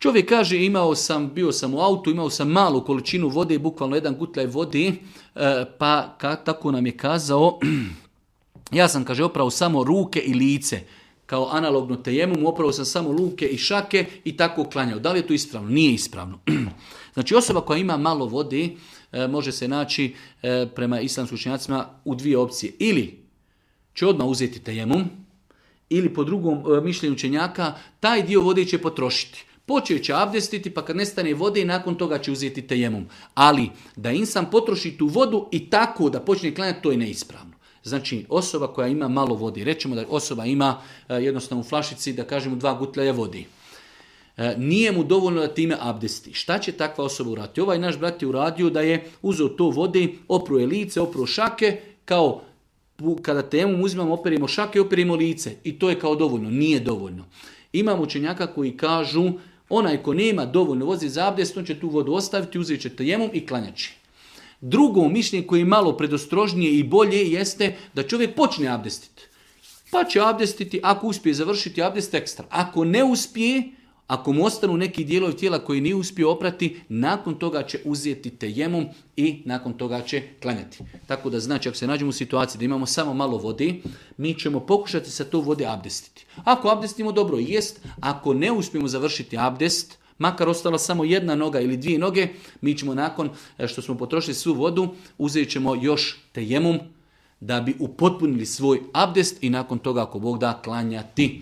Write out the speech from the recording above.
Čovjek kaže bio sam u autu, imao sam malu količinu vode, bukvalno 1 gutlaj vode, pa tako nam je kazao, ja sam, kaže, oprao samo ruke i lice, kao analogno tejemum, oprao sam samo ruke i šake i tako klanjao. Da li je to ispravno? Nije ispravno. Znači osoba koja ima malo vode može se naći prema islamskim učenjacima u 2 opcije. Ili će odmah uzeti tejemum, ili po drugom mišljenju učenjaka taj dio vode će potrošiti. Počeo će abdestiti, pa kad nestane vode i nakon toga će uzeti tejemum. Ali da insan potroši tu vodu i tako da počne klanjati, to je neispravno. Znači osoba koja ima malo vode, rećemo da osoba ima jednostavno u flašici, da kažemo 2 gutljaja vode. Nije mu dovoljno da time abdesti. Šta će takva osoba uraditi? Ovaj naš brat je uradio da je uzeo to vode, opro je lice, opro šake, kao kada tejemum uzimamo, operimo šake, operimo lice. I to je kao dovoljno. Nije dovoljno. Imamo učenjaka koji kažu, onaj ko nema dovoljno vode za abdest, on će tu vodu ostaviti, uzet će tejemum i klanjaći. Drugo mišljenje koje je malo predostrožnije i bolje jeste da čovjek počne abdestiti. Pa će abdestiti, ako uspije završiti abdest ekstra. Ako ne uspije, ako mu ostanu neki dijelovi tijela koji nije uspio oprati, nakon toga će uzeti tejemum i nakon toga će klanjati. Tako da znači, ako se nađemo u situaciji da imamo samo malo vode, mi ćemo pokušati sa to vode abdestiti. Ako abdestimo, dobro jest. Ako ne uspijemo završiti abdest, makar ostala samo 1 noga ili 2 noge, mi ćemo nakon što smo potrošili svu vodu, uzet ćemo još tejemum da bi upotpunili svoj abdest i nakon toga, ako Bog da, klanjati.